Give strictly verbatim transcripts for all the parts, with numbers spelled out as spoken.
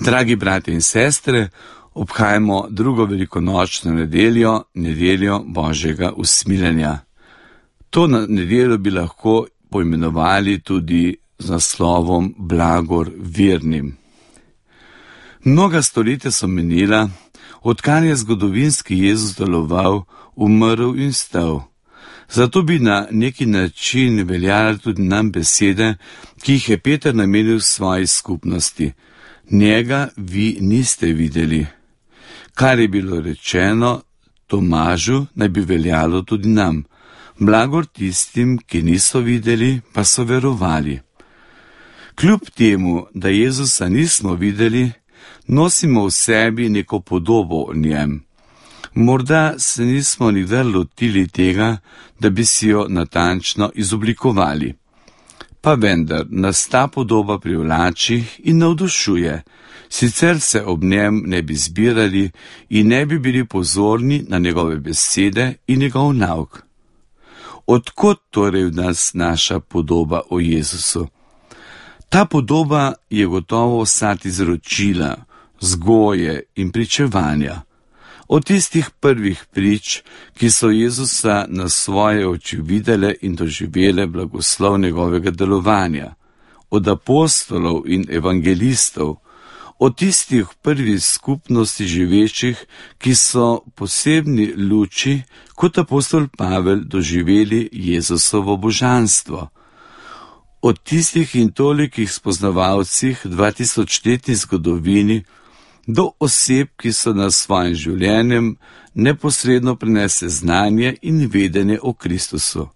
Dragi brati in sestre, obhajamo drugo velikonočno nedeljo, nedeljo Božjega usmiljenja. To nedeljo bi lahko poimenovali tudi z naslovom Blagor vernim. Mnoga stoletja so minila, odkar je zgodovinski Jezus deloval, umrl in stal. Zato bi na neki način veljale tudi nam besede, ki jih je Peter namenil v svoji skupnosti. Njega vi niste videli. Kar je bilo rečeno Tomažu, naj bi veljalo tudi nam. Blagor tistim, ki niso videli, pa so verovali. Kljub temu, da Jezusa nismo videli, nosimo v sebi neko podobo o njem. Morda se nismo nikdar lotili tega, da bi si jo natančno izoblikovali. Pa vendar nas ta podoba privlači in navdušuje, sicer se ob njem ne bi zbirali in ne bi bili pozorni na njegove besede in njegov nauk. Odkot torej v nas naša podoba o Jezusu? Ta podoba je gotovo vsad izročila, vzgoje in pričevanja. Od tistih prvih prič, ki so Jezusa na svoje oči videle in doživele blagoslov njegovega delovanja, od apostolov in evangelistov, od tistih prvih skupnosti živečih, ki so posebni luči, kot apostol Pavel, doživeli Jezusovo božanstvo. Od tistih in tolikih spoznavalcih dvatisočletni zgodovini, do oseb, ki so nas svojim življenjem neposredno prenese znanje in vedenje o Kristusu.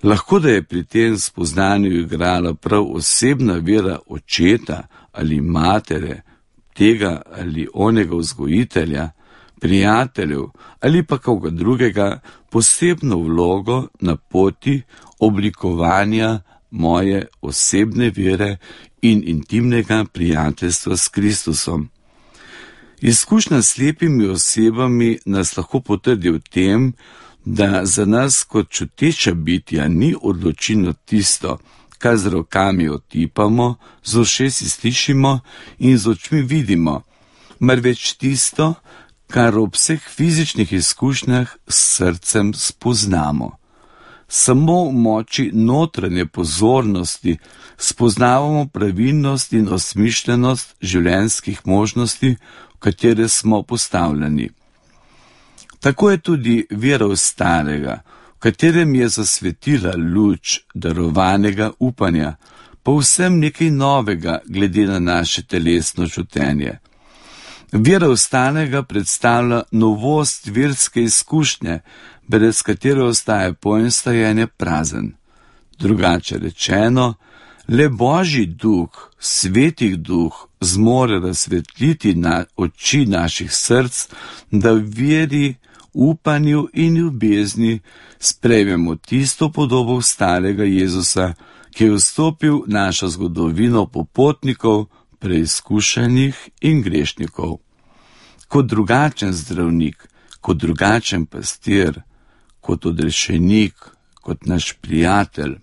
Lahko da je pri tem spoznanju igrala prav osebna vera očeta ali matere, tega ali onega vzgojitelja, prijateljev ali pa koga drugega posebno vlogo na poti oblikovanja moje osebne vere in intimnega prijateljstva s Kristusom. Izkušnja s slepimi osebami nas lahko potrdi v tem, da za nas kot čuteča bitja ni odločilno tisto, kar z rokami otipamo, z ušesi slišimo in z očmi vidimo, marveč tisto, kar ob vseh fizičnih izkušnjah s srcem spoznamo. Samo v moči notranje pozornosti spoznavamo pravilnost in osmišljenost življenjskih možnosti, v katere smo postavljeni. Tako je tudi vera v starega, v katerem je zasvetila luč darovanega upanja, povsem nekaj novega glede na naše telesno čutenje. Vera v starega predstavlja novost verske izkušnje, brez katere ostaje pojem stajenja prazen. Drugače rečeno, le Božji duh, svetih duh, zmore razsvetliti na oči naših src, da v veri, upanju in ljubezni sprejmemo tisto podobo starega Jezusa, ki je vstopil v našo zgodovino popotnikov, preizkušenih in grešnikov. Kot drugačen zdravnik, kot drugačen pastir, kot odrešenik, kot naš prijatelj.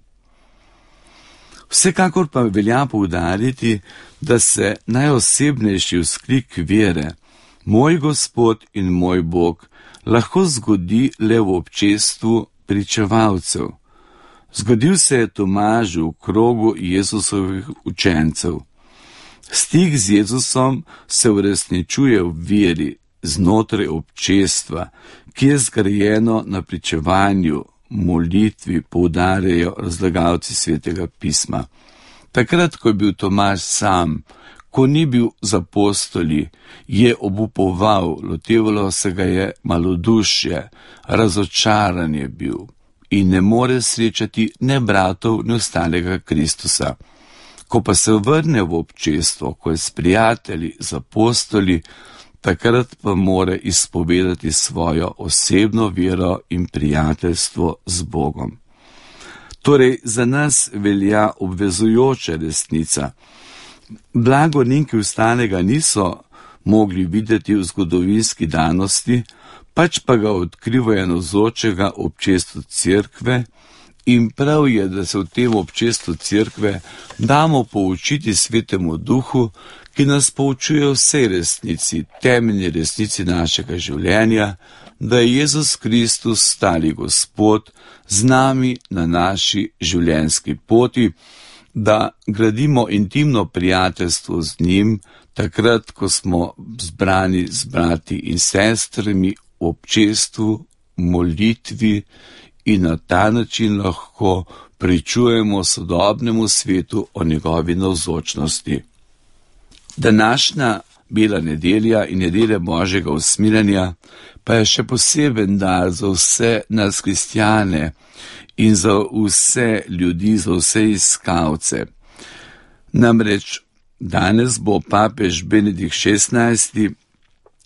Vsekakor pa velja poudariti, da se najosebnejši vzklik vere, moj Gospod in moj Bog, lahko zgodi le v občestvu pričevalcev. Zgodil se je Tomažu v krogu Jezusovih učencev. Stik z Jezusom se uresničuje v veri, znotraj občestva, ki je zgrajeno na pričevanju, molitvi, poudarjajo razlagalci Svetega pisma. Takrat, ko je bil Tomaž sam, ko ni bil z apostoli, je obupoval, lotevalo se ga je malodušje, razočaran je bil in ne more srečati ne bratov, ne ostalega Kristusa. Ko pa se vrne v občestvo, ko je s prijatelji, z apostoli, takrat pa more izpovedati svojo osebno vero in prijateljstvo z Bogom. Torej, za nas velja obvezujoča resnica. Blagorniki vstanega niso mogli videti v zgodovinski danosti, pač pa ga odkrivajo navzočega občestvu cerkve In prav je, da se v tem občestvu cerkve damo poučiti Svetemu Duhu, ki nas poučuje vsej resnici, temeljni resnici našega življenja, da je Jezus Kristus stali Gospod z nami na naši življenjski poti, da gradimo intimno prijateljstvo z njim, takrat, ko smo zbrani z brati in sestrami v občestvu, molitvi, in na ta način lahko pričujemo sodobnemu svetu o njegovi navzočnosti. Današnja bela nedelja in nedelja Božjega usmiljenja pa je še poseben dar za vse nas kristjane in za vse ljudi, za vse iskalce. Namreč danes bo papež Benedikt šestnajsti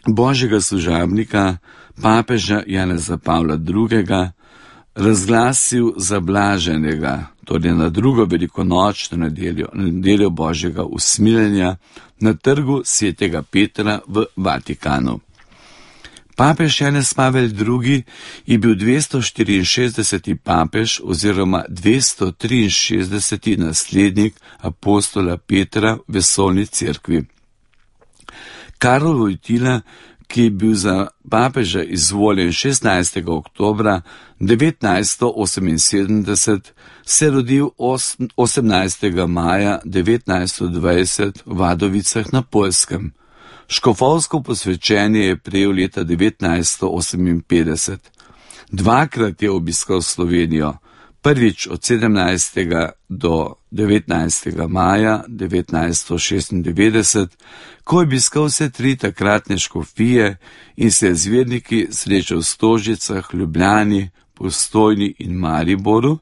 Božjega služabnika, papeža Janeza Pavla drugega, razglasil za blaženega, torej na drugo velikonočno nedeljo, nedeljo Božjega usmiljenja na trgu svetega Petra v Vatikanu. Papež Janez Pavel drugi je bil dvesto štiriinšestdeseti papež oziroma dvesto triinšestdeseti naslednik apostola Petra v vesoljni cerkvi. Karol Wojtyla, ki je bil za papeža izvoljen šestnajstega oktobra devetnajststo oseminsedemdeset, se je rodil osemnajstega maja devetnajststo dvajset v Wadowicach na Poljskem. Škofovsko posvečenje je prejel leta devetnajststo oseminpetdeset. Dvakrat je obiskal Slovenijo, prvič od sedemnajstega do devetnajstega maja devetnajststo šestindevetdeset, ko je obiskal vse tri takratne škofije in se je z verniki srečal v Stožicah, Ljubljani, Postojni in Mariboru,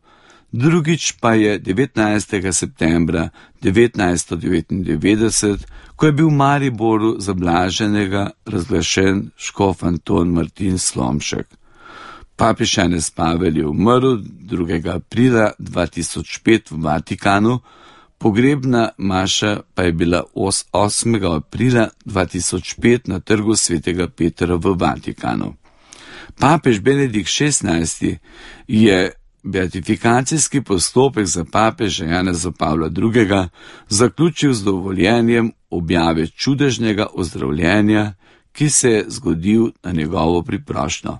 drugič pa je devetnajstega septembra devetnajststo devetindevetdeset, ko je bil v Mariboru za blaženega razglašen škof Anton Martin Slomšek. Papež Janez Pavel je umrl drugega aprila dva tisoč pet v Vatikanu, pogrebna maša pa je bila osmega aprila dva tisoč pet na trgu svetega Petra v Vatikanu. Papež Benedikt šestnajsti je beatifikacijski postopek za papeža Janeza Pavla drugega zaključil z dovoljenjem objave čudežnega ozdravljenja, ki se je zgodil na njegovo priprošnjo.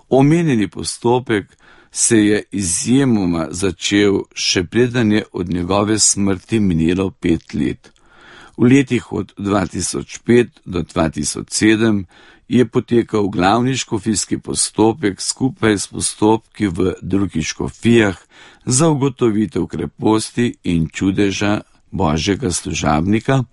Omenjeni postopek se je izjemoma začel še preden je od njegove smrti minilo pet let. V letih od dva tisoč pet do dva tisoč sedem je potekal glavni škofijski postopek skupaj s postopki v drugih škofijah za ugotovitev kreposti in čudeža Božjega služabnika.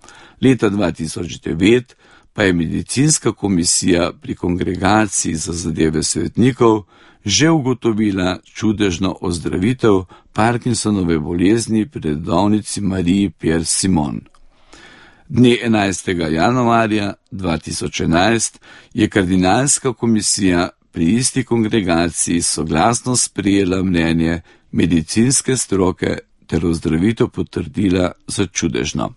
Leta dva tisoč devet pa je medicinska komisija pri Kongregaciji za zadeve svetnikov že ugotovila čudežno ozdravitev Parkinsonove bolezni pri redovnici Mariji Pierre Simon. Dne enajstega januarja dva tisoč enajst je kardinalska komisija pri isti kongregaciji soglasno sprejela mnenje medicinske stroke ter ozdravitev potrdila za čudežno.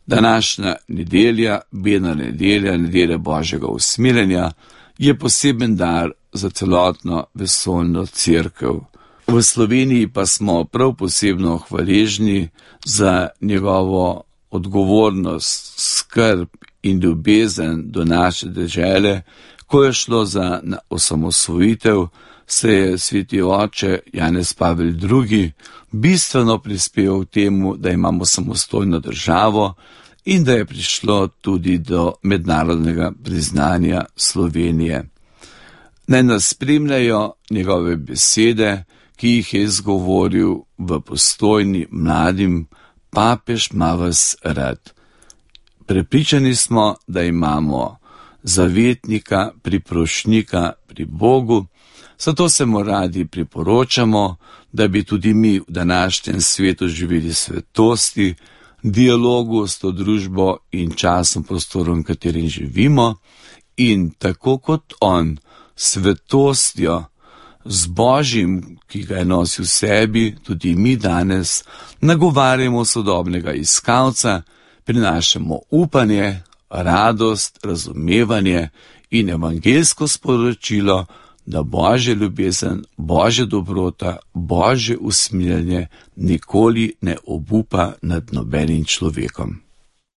Današnja nedelja, bela nedelja, nedelja Božjega usmiljenja, je poseben dar za celotno vesoljno cerkev. V Sloveniji pa smo prav posebno hvaležni za njegovo odgovornost, skrb in ljubezen do naše dežele. Ko je šlo za osamosvojitev, se je sveti oče Janez Pavel drugi bistveno prispeval k temu, da imamo samostojno državo in da je prišlo tudi do mednarodnega priznanja Slovenije. Naj nas spremljajo njegove besede, ki jih je izgovoril v Postojni mladim: papež ima vas rad. Prepričani smo, da imamo zavetnika, priprošnjika pri Bogu, zato se mu radi priporočamo, da bi tudi mi v današnjem svetu živeli svetosti, dialogu s to družbo in časom, prostorom, v katerim živimo, in tako kot on, svetostjo, z Božjim, ki ga je nosil v sebi, tudi mi danes nagovarjamo sodobnega iskalca, prinašamo upanje, radost, razumevanje in evangeljsko sporočilo, da Božja ljubezen, Božja dobrota, Božje usmiljenje nikoli ne obupa nad nobenim človekom.